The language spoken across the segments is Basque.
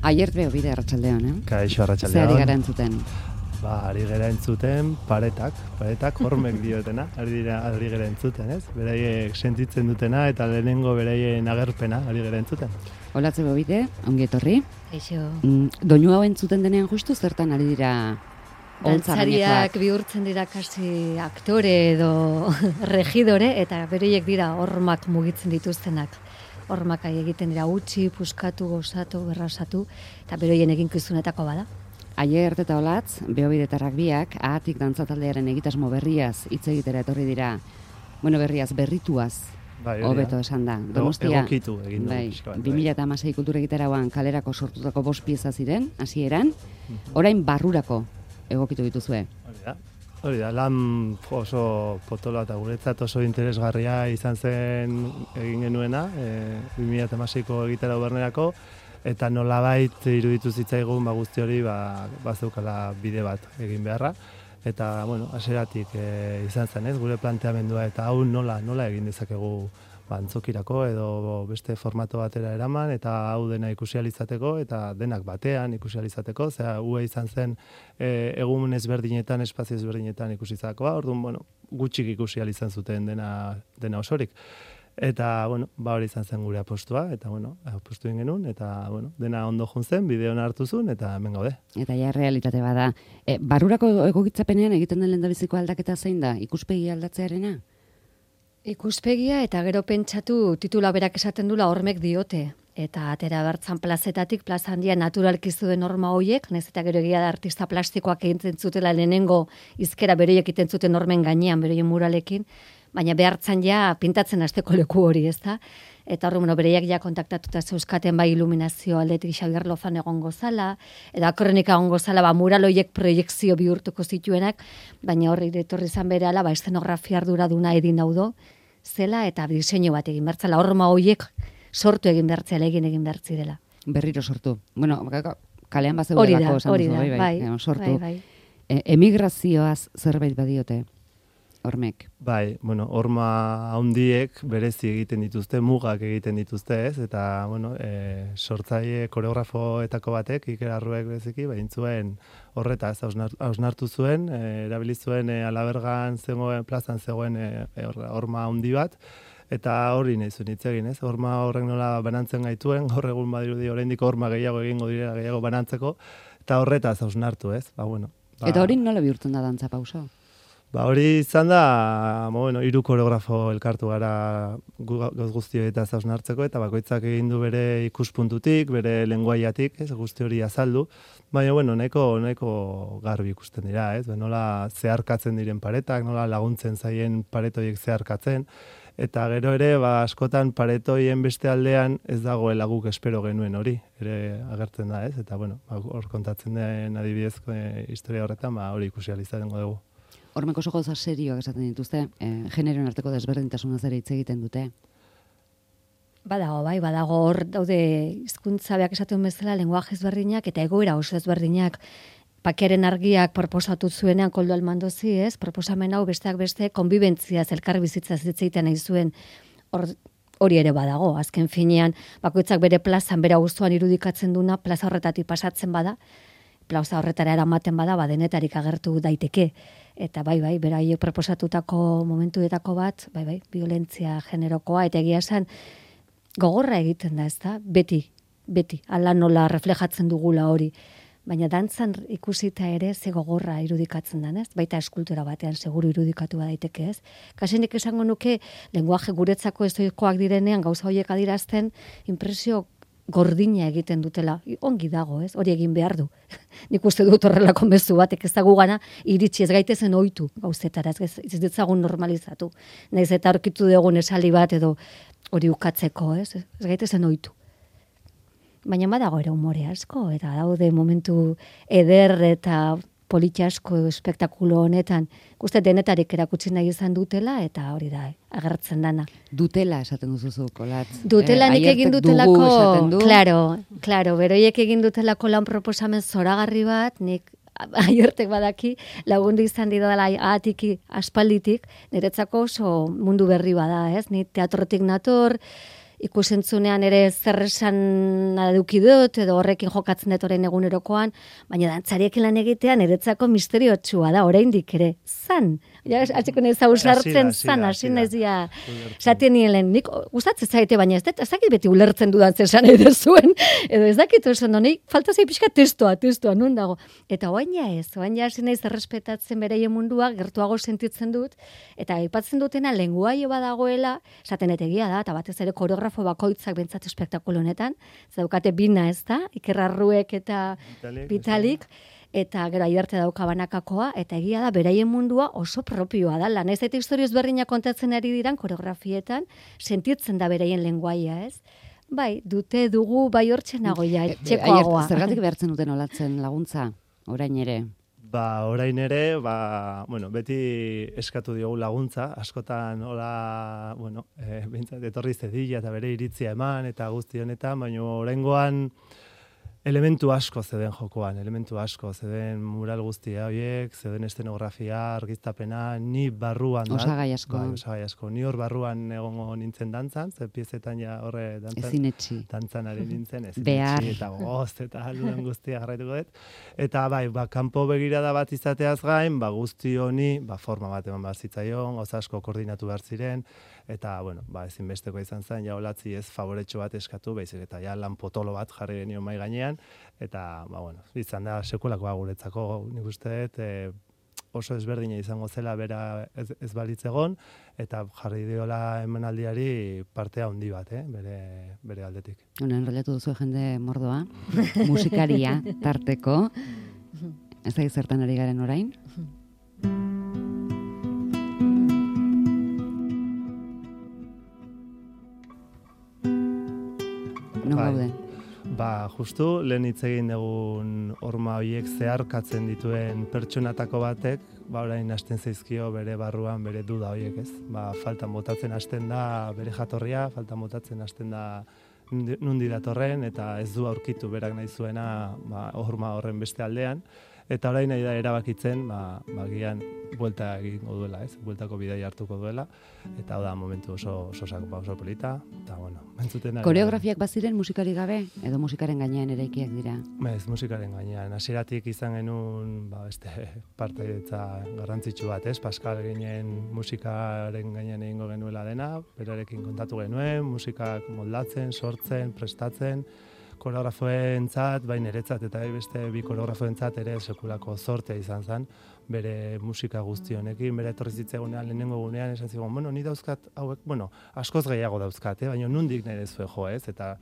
Aiert beho bide arratsaldeon, Kaixo arratsaldeon. Zer ari gara entzuten? Ari gara entzuten paretak hormek diotena, ari gara entzuten, ez? Beraiek sentitzen dutena eta lehenengo beraien agerpena ari gara entzuten. Olatze beho bide, ongi etorri. Kaixo. Doinu hau entzuten denean justu zertan ari dira dantzariak bihurtzen dira kasi aktore edo regidore eta bereiek dira hormak mugitzen dituztenak. Hormak egiten dira utzi, puskatu, gozatu, berrasatu eta beroien eginkizunetako bada. Aiert eta Olatz, behobidetarrak biak, ahatik dantzataldearen egitasmo berriaz hitz egitera etorri dira. Bueno, berrituaz, hobeto esan da. Donostia, egokitu egin du. 2016 kultura egitarauan kalerako sortutako 5 pieza ziren, hasieran, orain barrurako egokitu dituzue. Hori da, lan oso potoloa eta guretzat oso interesgarria izan zen egin genuena, 2016ko egitarau bernerako, eta nolabait iruditu zitzaigun guzti hori bazeukala bide bat egin beharra. Eta, bueno, hasieratik izan zen, ez, gure planteamendua eta hau nola egin dezakegu antzokirako edo beste formato batera eraman eta hau dena ikusi ahal izateko eta denak batean ikusi ahal izateko, hua izan zen egun ezberdinetan, espazio ezberdinetan ikusi izatekoa, orduan, bueno, gutxik ikusi ahal izan zuten dena osorik. Eta, bueno, hori izan zen gure apostua, eta, bueno, apostu egin genuen, eta, bueno, dena ondo jun zen, bideona hartu zuen, eta hemen gaude. Eta ja realitate bada. Barrurako egokitzapenean egiten den lehendabiziko aldaketa zein da? Ikuspegi aldatzearena? Ikuspegia eta gero pentsatu titula berak esaten dula hormek diote. Eta atera bertzan plazetatik, plaza handia naturalki zuen norma hoiek, nahiz eta gero egia da artista plastikoak egiten zutela lehenengo izkera beroiek egiten zuten normen gainean, beroien muralekin, baina behartzen ja pintatzen hasteko leku hori, ezta? Eta horre, bereiak ja kontaktatuta zeuzkaten bai iluminazio aldetik Xabier Lozan egongo zala, eta kronika egongo zala, mural horiek proiekzio bihurtuko zituenak, baina horre etorri izan berehala, eszenografia arduraduna edin daudo, zela eta diseinu bat egin bertzala, horma horiek sortu egin bertzela, egin bertzirela. Berriro sortu. Bueno, kalean bat zegoelako esan duzu, bai, sortu. Bai. Emigrazioaz zerbait badiote? Hormek. Bai, bueno, horma handiek berezi egiten dituzte, mugak egiten dituzte, ez? Eta, bueno, sortzaile koreografoetako batek, Iker Arruek bereziki, zuen horretaz hausnartu zuen, erabili zuen Alabergan zegoen, plazan zegoen horma handi bat, eta hori nahi zuen hitz egin, ez? Horma horrek nola banantzen gaituen, gaur egun badirudi oraindik horma gehiago egingo direla gehiago banantzeko, eta horretaz hausnartu, ez? Bueno. Eta hori nola bihurtzen da dantza pauso? Hori izan da, bueno, 3 koreografo elkartu gara gauz guztioetaz hausnartzeko, eta bakoitzak egin du bere ikuspuntutik, bere lenguaiatik, ez, guzti hori azaldu, baina, bueno, nahiko garbi ikusten dira, ez, nola zeharkatzen diren paretak, nola laguntzen zaien paretoiek zeharkatzen, eta gero ere, askotan paretoien beste aldean ez dagoela guk espero genuen hori, ere agertzen da, ez, eta, bueno, hor kontatzen den adibidezko historia horretan, hori ikusi ahal izango dugu. Hormeko oso gauza serioak esaten dituzte, generoen arteko desberdintasunaz ere hitz egiten dute. Badago hor daude hizkuntza beak esaten bezala lenguaje ezberdinak eta egoera oso ezberdinak. Pakearen argiak proposatu zuenean Koldo Almandozi, ez? Proposamen hau besteak beste konbibentziaz, elkar bizitzaz hitz egiten nahi zuen. Hori ere badago, azken finean bakoitzak bere plazan, bere auzoan irudikatzen duna, plaza horretatik pasatzen bada, plaza horretara eramaten bada, denetarik agertu daiteke. Eta beraiek proposatutako momentuetako bat, violentzia generokoa, eta egia esan gogorra egiten da, ezta? Beti, ala nola reflejatzen dugula hori. Baina dantzan ikusita ere ze gogorra irudikatzen da, ez? Baita eskultura batean seguru irudikatu daiteke, ez? Kasenik esango nuke, lenguaje guretzako ezoikoak direnean gauza horiek adirazten, impresio gordina egiten dutela. Ongi dago, ez? Hori egin behar du. Nik uste dut horrelako mezu batek ez dago gana, iritsi ez gaitezen ohitu gauzetara, ez ditzagun normalizatu. Naiz eta aurkitu dugun esaldi bat edo hori ukatzeko, ez? Ez gaitezen ohitu. Baina badago ere umore asko, eta daude momentu eder eta politxe asko espektakulo honetan, uste denetarik erakutsi nahi izan dutela, eta hori da, agertzen dana. Dutela esaten duzuzu, Kolatz. Dutela nik egin dutelako, claro, beroiek egin dutelako lan proposamen zoragarri bat, nik Aiertek badaki, lagundu izan didala ahatiki aspalditik, niretzako oso mundu berri bada, ez? Ni teatrotik nator, ikusentzunean ere zer esan eduki dut, edo horrekin jokatzen dut orain egunerokoan, baina dantzariekin lan egitean eretzako misteriotsua da, oraindik ere, zan. Ja, atzeko nahi zauzartzen zan, hasi naizia, esaten nien nik gustatzen zaite, baina ez dakit beti ulertzen dudan zesan edo zuen, edo ez dakit osan honei, falta zei pixka testoa, non dago. Eta oain hasi naiz errespetatzen bereien mundua, gertuago sentitzen dut, eta aipatzen dutena lenguaio badagoela, esaten etegia da, eta batez ere koreografo bakoitzak bentsat espektakulo honetan, zaukate bina ez da, Iker Arruek eta Vitalik, eta gero Aiarte dauka banakakoa, eta egia da, beraien mundua oso propioa da, lan ez eta historioz berdinak kontatzen ari diran koreografietan, sentitzen da beraien lenguaia, ez? Bai, dugu, bai hortzen nagoia, txekoagoa. Zergatik behartzen duten olatzen laguntza, orain ere? Orain ere, beti eskatu diogu laguntza, askotan hola, bintzat, etorri zedila eta bere iritzia eman, eta guzti honetan, baina oraingoan elementu asko zeden jokoan, zeden mural guztia horiek, zeden estenografia, argiztapena, ni barruan da. Osagai asko. Osagai asko. Ni hor barruan egongo nintzen dantzan, ze piezetan ja horre dantzan ari nintzen, ezinetxi eta gozt eta aluden guztia jarraituko dut. Eta kanpo begirada bat izateaz gain, guzti honi, forma bat eman behar zitzaion, gauza asko koordinatu behar ziren, eta, ezinbesteko izan zen, ja olatzi ez favoretxo bat eskatu, baizik eta ja lan potolo bat jarri genio mai gainean, eta, izan da sekulakoa guretzako, nik uste dut, oso ezberdina izango zela bera ez balitz egon, eta jarri diola emanaldiari partea handi bat, bere aldetik. Enrollatu duzu jende mordoa, musikaria tarteko, ez da zertan ari garen orain? Non gaude? Justu, lehen hitz egin dugun horma horiek zeharkatzen dituen pertsonatako batek, orain hasten zaizkio bere barruan bere duda horiek, ez? Faltan botatzen hasten da bere jatorria, faltan botatzen hasten da nundi datorren, eta ez du aurkitu berak nahi zuena horma horren beste aldean, eta orain nahi da erabakitzen, gian buelta egingo duela, ez? Bueltako bidai hartuko duela, eta da momentu oso polita, eta entzuten ari. Koreografiak baziren musikari gabe, edo musikaren gainean eraikiak dira? Ez, musikaren gainean. Hasieratik izan genuen, beste partaidetza garrantzitsu bat, ez? Pascal ginen musikaren gainean egingo genuela dena, berarekin kontatu genuen, musikak moldatzen, sortzen, prestatzen, koreografoentzat, niretzat eta beste bi koreografoentzat ere sekulako zortea izan zen, bere musika guzti honekin, bere etorri zitzaigunean, lehenengo gunean, esan zigun, ni dauzkat hauek, askoz gehiago dauzkat, baina nundik nire zuen jo, ez, eta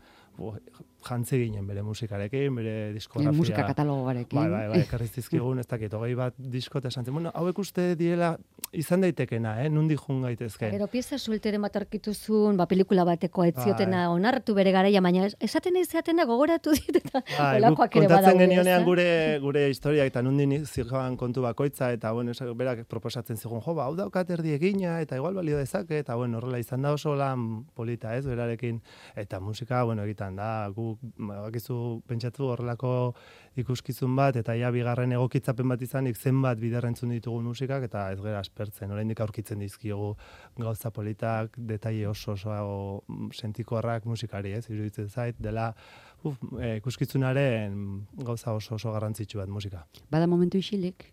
jantzi ginen bere musikarekin, bere diskografia. Musika katalogoarekin. Bai, karriztizkigun, ez dakit, 20 bat disko, eta esan zen, hauek uste diela izan daitekena, nundik jun gaitezke. Gero pieza suelteren bat arkituzun, pelikula bateko etziotena onartu bere garaia, baina esaten izatena gogoratu dit, eta olakoak ere badago. Kontatzen genionean gure historiak, eta nundin zirjoan kontu bakoitza, eta berak proposatzen zigun, hau daukat erdi egina, eta igual balio dezake, eta horrela izan da oso lan polita, ez, berarekin, eta musika, egitan da, gu bakizu pentsatu horrelako ikuskizun bat, eta bigarren egokitzapen bat izanik zenbat biderrentzun ditugu musikak, eta ez gara aspertzen, oraindik aurkitzen dizkiogu gauza politak, detaile oso sentikoarrak musikari, ez, iruditzen zait, dela ikuskizunaren gauza oso garrantzitsu bat musika. Bada momentu isilik?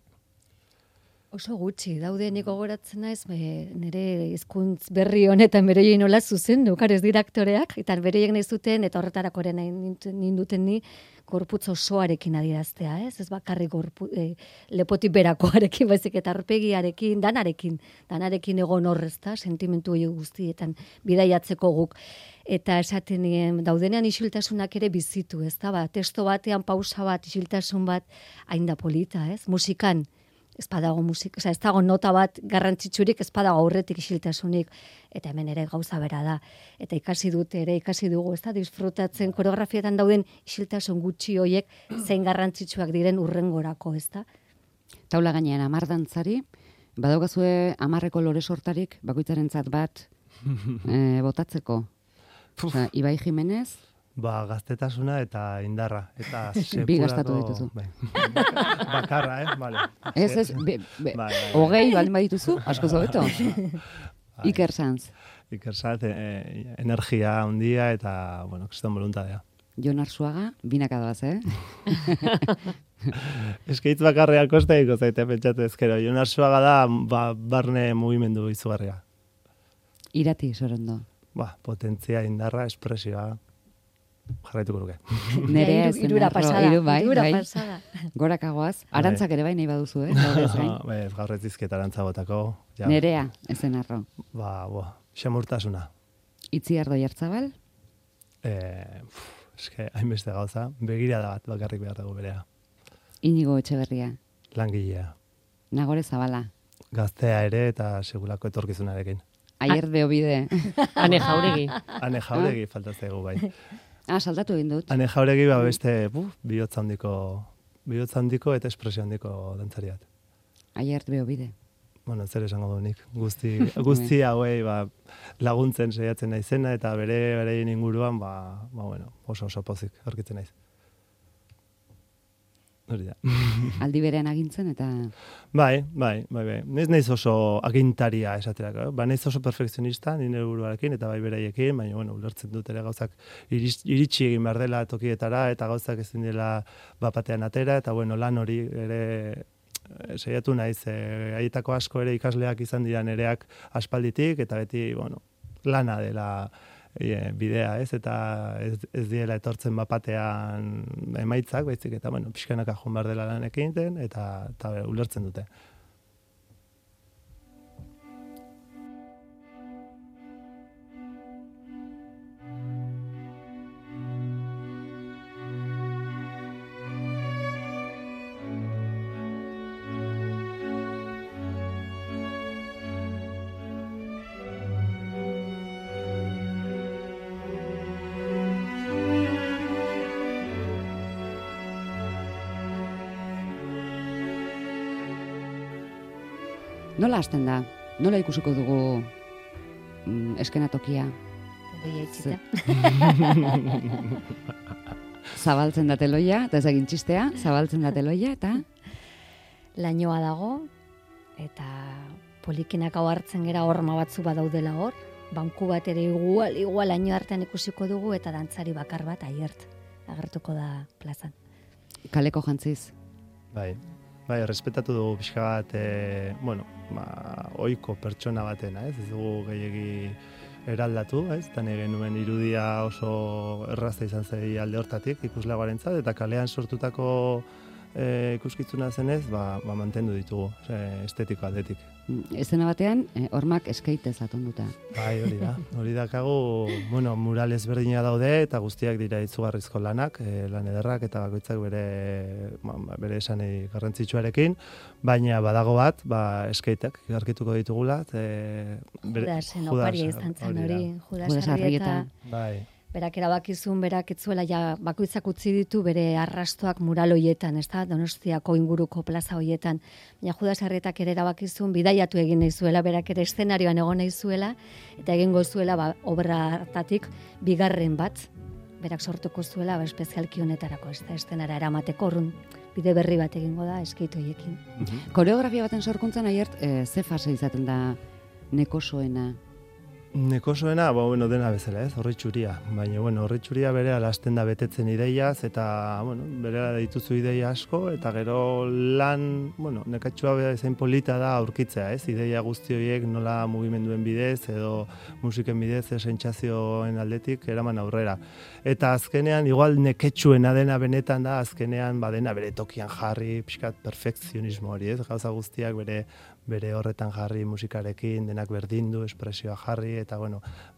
Oso gutxi, daude nik gogoratzen naiz, nire hizkuntz berri honetan bereien nola zuzendu, ez dira aktoreak, eta bereiek nahi zuten, eta horretarako ere ninduten ni, gorputz osoarekin adieraztea, ez? Ez bakarrik lepotik berakoarekin, baizik eta aurpegiarekin, danarekin egon horrezta, sentimentu hori guztietan bidaiatzeko guk. Eta esaten nien, daudenean isiltasunak ere bizitu, ez da, testo batean pausa bat, isiltasun bat, hain da polita, ez? Musikan, ez badago musika, ez dago nota bat garrantzitsurik, ez badago aurretik isiltasunik, eta hemen ere gauza bera da. Eta ikasi dugu, ez da, disfrutatzen koreografietan dauden isiltasun gutxi hoiek zein garrantzitsuak diren urrengorako, ez da? Taula gainean 10 dantzari, badaukazue 10eko lore sortarik, bakoitzarentzat bat botatzeko. Ibai Jimenez, gaztetasuna eta indarra. Eta bi gastatu dituzu. Bakarra, vale. Ez, 20 baldin badituzu, asko zobeto. Iker Sanz. Iker Sanz, energia handia eta, bueno, kriston voluntadea. Jon Arzuaga, binaka doaz, Eskaitz bakarrea kosteiko zaite pentsatu ezkero. Jon Arzuaga da barne mugimendu izugarria. Irati, Sorondo. Potentzia, indarra, espresioa. Jarraituko nuke. Nerea ez irura pasada. Irura pasada. Gorakagoaz. Arantzak ere bai nahi baduzu, Gaur ez dizket arantza botako. Nerea, ezen arro. Xamurtasuna. Itziardo Jartzabal? Eske, hainbeste gauza. Begirada bat bakarrik behar dugu berea. Inigo Etxeberria? Langilea. Nagore Zabala? Gaztea ere eta segulako etorkizunarekin. Aier de Obide. Ane Jauregi. Ane Jauregi falta zaigu bai. Saltatu egin dut. Ane Jauregi beste bihotza handiko eta espresio handiko dantzariat. Aier de Obide. Bueno, zer esango du nik. Guzti hauei laguntzen saiatzen naizena eta bere inguruan bueno, oso pozik aurkitzen naiz. Hori da. Aldi berean agintzen eta... Bai. Ez naiz oso agintaria esaterako. Naiz oso perfekzionista, nire buruarekin eta bai beraiekin, baina, bueno, ulertzen dut ere gauzak iritsi egin behar dela tokietara eta gauzak ezin dela bapatean atera eta, bueno, lan hori ere saiatu naiz. Haietako asko ere ikasleak izan dira nereak aspalditik eta beti, bueno, lana dela bidea, eta ez diela etortzen bapatean emaitzak, baizik eta, bueno, pixkanaka joan behar dela lanekin eta ulertzen dute. Nola hasten da? Nola ikusiko dugu eskenatokia? Zabaltzen da teloia, eta ez egin txistea, zabaltzen da teloia, eta... Lainoa dago, eta polikinak hau hartzen gera horma batzu badaudela hor, banku bat ere igual laino artean ikusiko dugu, eta dantzari bakar bat agertuko da plazan. Kaleko jantziz? Bai, respetatu dugu pixka bat, ohiko pertsona batena, ez dugu gehiegi eraldatu, eta genuen irudia oso errazta izan zei alde hortatik ikusleagoarentzat, eta kalean sortutako ikuskitzuna zenez, mantendu ditugu, estetiko aldetik. Ezena batean, hormak eskaitez atonduta. Bai, hori dakagu, mural ezberdina daude, eta guztiak dira izugarrizko lanak, lan ederrak, eta bakoitzak bere esanei garrantzitsuarekin, baina badago bat, eskaitak aurkituko ditugula. Judasen oparia izan zen hori, Judas Arrieta. Bai. Berak erabakizun, berak etzuela bakoitzak utzi ditu bere arrastoak mural hoietan, Donostiako inguruko plaza hoietan. Baina Judas Arrietak ere erabakizun bidaiatu egin nahi zuela, berak ere eszenarioan egon nahi zuela, eta egingo zuela obra hartatik bigarren bat, berak sortuko zuela espezialki honetarako, eszenara eramateko orrun bide berri bat egingo da eskeitu hoiekin. Koreografia baten sorkuntzan aiert, ze fase izaten da nekosoena? Nekosoena, dena bezala, horritxuria. Baina, horritxuria bere alasten da betetzen ideiaz, eta, bere dituzu ideia asko, eta gero lan, nekatxua zein polita da aurkitzea, ideia guzti horiek nola mugimenduen bidez, edo musiken bidez, sentsazioen aldetik, eraman aurrera. Eta azkenean, igual neketxuena dena benetan da, azkenean, badena bere tokian jarri, pixkat perfekzionismo hori, gauza guztiak bere horretan jarri musikarekin, denak berdindu, espresioa jarri, eta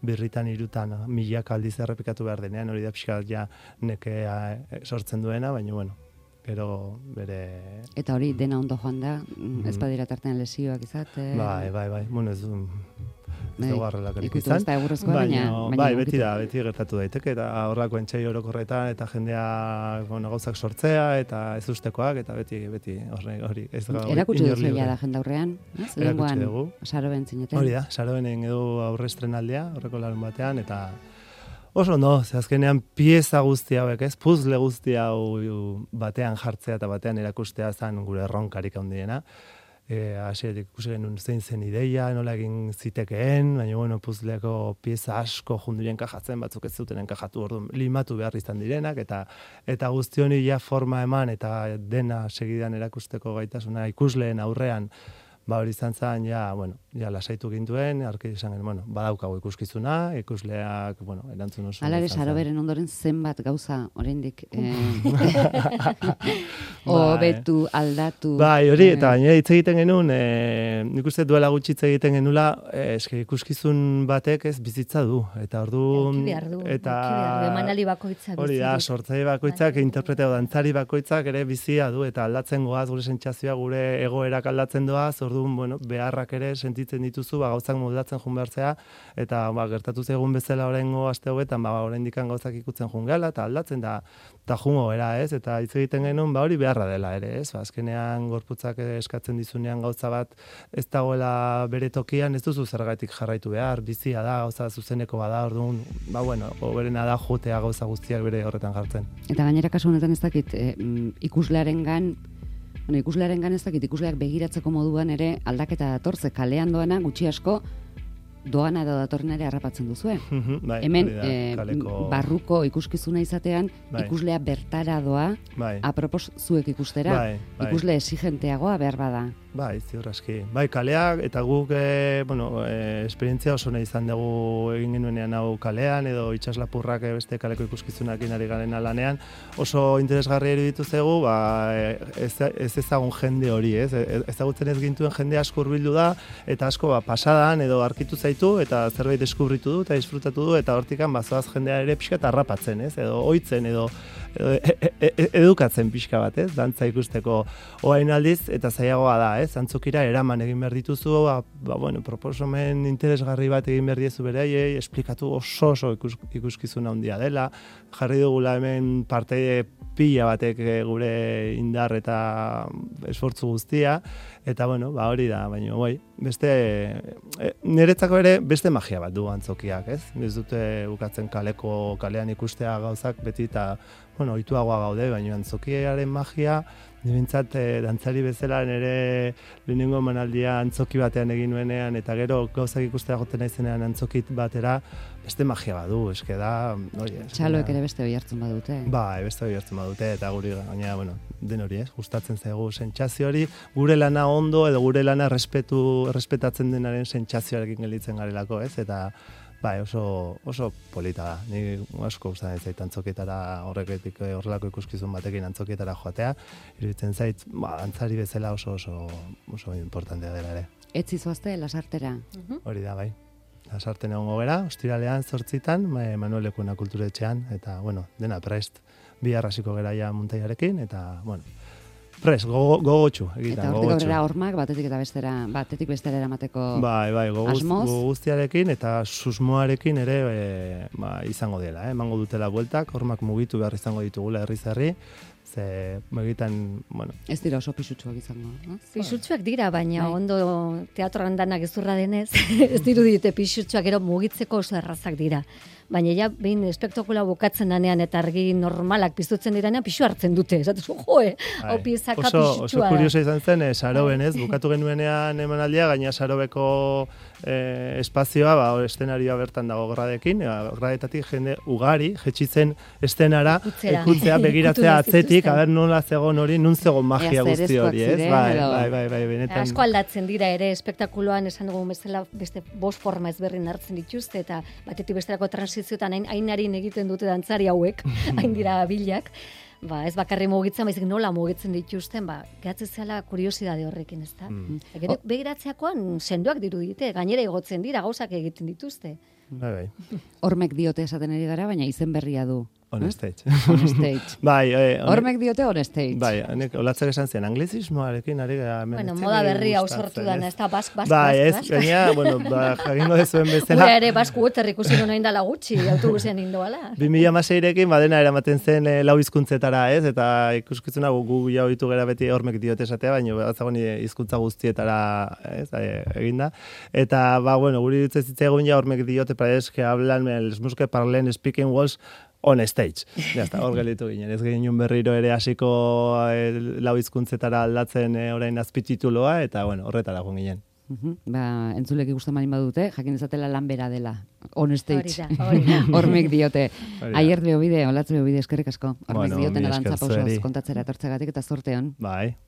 birritan irutan milaka aldiz errepikatu behar denean, hori da pixkat ja nekea sortzen duena, baina gero bere... Eta hori dena ondo joan da, ez badira tartean lesioak izate... Bai, ez dugu arrelakarik izan, baina beti gertatu daiteke, eta horrako entxai orokorretan, eta jendea gauzak sortzea, eta ez ustekoak, eta beti hori. Erakutsi duzu da jende aurrean, erakutsi dugu. Saroben zineten. Hori da, Sarobenen edo aurre estrenaldea, horreko larun batean, eta oso azkenean pieza guzti hauek, puzzle guzti hau batean jartzea eta batean erakustea zen gure erronkarik handiena. hasietik ikusi genuen zein zen ideia, nola egin zitekeen, baina bueno, puzleko pieza asko junduren kajatzen, batzuk ez zuten enkajatu, orduan limatu behar izan direnak, eta guzti honi ja forma eman, eta dena segidan erakusteko gaitasuna ikusleen aurrean, hori izan zen, ja lasaitu gintuen, arki izan genuen, badaukago ikuskizuna, ikusleak, erantzun oso. Hala ere, Saroberen ondoren zenbat gauza, oraindik hobetu, aldatu. Bai, hori, eta gainera hitz egiten genuen, nik uste duela gutxi hitz egiten genula, ikuskizun batek ez bizitza du, eta orduan... Eta emanali bakoitzak. Hori da, sortzaile bakoitzak, interpreteo dantzari bakoitzak ere bizia du, eta aldatzen goaz, gure sentsazioa, gure egoerak aldatzen doaz, orduan, beharrak ere sentitzen dituzu, gauzak moldatzen jun behartzea, eta gertatu zaigun bezala oraingo aste hauetan, oraindikan gauzak ikutzen jun gela, eta aldatzen da, eta jungo era, ez? Eta hitz egiten genuen, hori beharra dela ere, ez? Azkenean gorputzak eskatzen dizunean gauza bat ez dagoela bere tokian, ez duzu zergatik jarraitu behar, bizia da, gauza zuzeneko bada, orduan, hoberena da jotea gauza guztiak bere horretan jartzen. Eta gainera kasu honetan ez dakit, ikuslearengan ez dakit, ikusleak begiratzeko moduan ere aldaketa datorze, kalean doana gutxi asko doana edo datorren ere harrapatzen duzue. Hemen, barruko ikuskizuna izatean, ikuslea bertara doa, apropos zuek ikustera, ikusle exigenteagoa behar bada. Bai, ziur aski. Bai, kaleak, eta guk, esperientzia oso nahi izan dugu egin genuenean hau kalean, edo itxaslapurrak beste kaleko ikuskizunakin ari garen lanean, oso interesgarri iruditu zaigu, ez ezagun jende hori, ez? Ezagutzen ez gintuen jende asko hurbildu da, eta asko pasadan edo arkitu zaitu, eta zerbait deskubritu du, eta disfrutatu du, eta hortikan bazoaz jendea ere pixka harrapatzen, ez? Edo ohitzen, edo edukatzen pixka bat, ez? Dantza ikusteko orain aldiz, eta zailagoa da, ez? Antzokira eraman egin behar dituzu, proposamen interesgarri bat egin behar diezu beraiei, esplikatu oso ikuskizuna handia dela, jarri dugula hemen parte pila batek gure indar eta esfortzu guztia, eta hori da, baina beste, niretzako ere beste magia bat du antzokiak, ez? Ez dute bukatzen kalean ikustea gauzak beti eta ohituagoa gaude, baina antzokiaren magia, nirentzat dantzari bezala nire lehenengo emanaldia antzoki batean egin nuenean, eta gero gauzak ikustea joten naizenean antzokit batera, beste magia badu, eske da... Txaloek ere beste hori hartzen badute. Bai, beste hori hartzen badute, eta guri gaina, den hori, gustatzen zaigu sentsazio hori, gure lana ondo edo gure lana errespetatzen denaren sentsazioarekin gelditzen garelako, ez? Eta bai, oso polita da. Ni asko gustatzen zait antzokietara horrelako ikuskizun batekin antzokietara joatea, iruditzen zait, dantzari bezala oso importantea dela ere. Ez zizoazte Lasartera? Hori da, bai. Lasarten egongo gera, ostiralean 8:00, Manuel Lekuna kulturetxean, eta, dena prest. Bihar hasiko gera ja muntaiarekin, eta, prest, gogotxu egiten. Eta hortik aurrera hormak batetik bestera eramateko asmoz? Guztiarekin eta susmoarekin ere izango dela. Emango dutela bueltak, hormak mugitu behar izango ditugula herri-zerri, ze begitan, Ez dira oso pisutsuak izango, no? Pisutsuak dira, baina ondo teatroan danak ezurra denez, ez dirudite pisutsuak, gero mugitzeko oso errazak dira. Baina ja, behin espektakula bukatzen danean eta argi normalak piztutzen diranean, pisu hartzen dute. Esatu hau piezaka pisutsua. Oso kuriosa izan zen, Saroben, ez? Bukatu genuenean emanaldia, gaina Sarobeko espazioa, eszenarioa bertan dago gradekin, gradetatik jende ugari, jetxitzen estenara, ikutzea, begiratzea atzetik, aber nola zegoen hori, nun zegoen magia guzti hori, ez? Bai, benetan. Asko aldatzen dira ere, espektakuloan esan dugu bezala beste 5 forma ezberdin hartzen dituzte, eta batetik besterako transizioetan hainarin egiten dute dantzari hauek, hain dira bilak, ez bakarri mugitzen, baizik nola mugitzen dituzten, gehatzen zela kuriosidade horrekin, ez da? Gero begiratzeakoan sendoak dirudite, gainera igotzen dira, gauzak egiten dituzte. Bai. Hormek diote esaten ari gara, baina izen berria du. On stage. On stage. Bai, hormek diote on stage. Bai, olatzak esan zen, anglizismoarekin ari gara. Moda berria sortu dana, ez da, bask. Bai, ez, gaina, jagingo dezuen bezala. Gure ere, basku uter ikusi duen oindala gutxi, autobusean indoala. 2016rekin, badena eramaten zen 4 hizkuntzetara, ez, eta ikuskizuna gu jau ditu gara beti hormek diote esatea, baina batzagon hizkuntza guztietara, ez, eginda. Eta, guri ditzen zitzaigun ja hormek diote, para es que hablan, les música parlen, speaking walls, on stage. Ja, hor gelditu ginen. Ez ginen berriro ere hasiko lau hizkuntzetara aldatzen orain azpitituloa, eta bueno, horretara joan ginen. Ba, entzulek ikusten baldin badute, jakin ezatela lan bera dela. On stage. Hori da. Hormek diote. Aier beobide, olatz beobide, eskerrik asko. Hormek Bueno, dioten mi arantza esker pausoz zueri. kontatzera etortzegatik eta zorteon. Bai.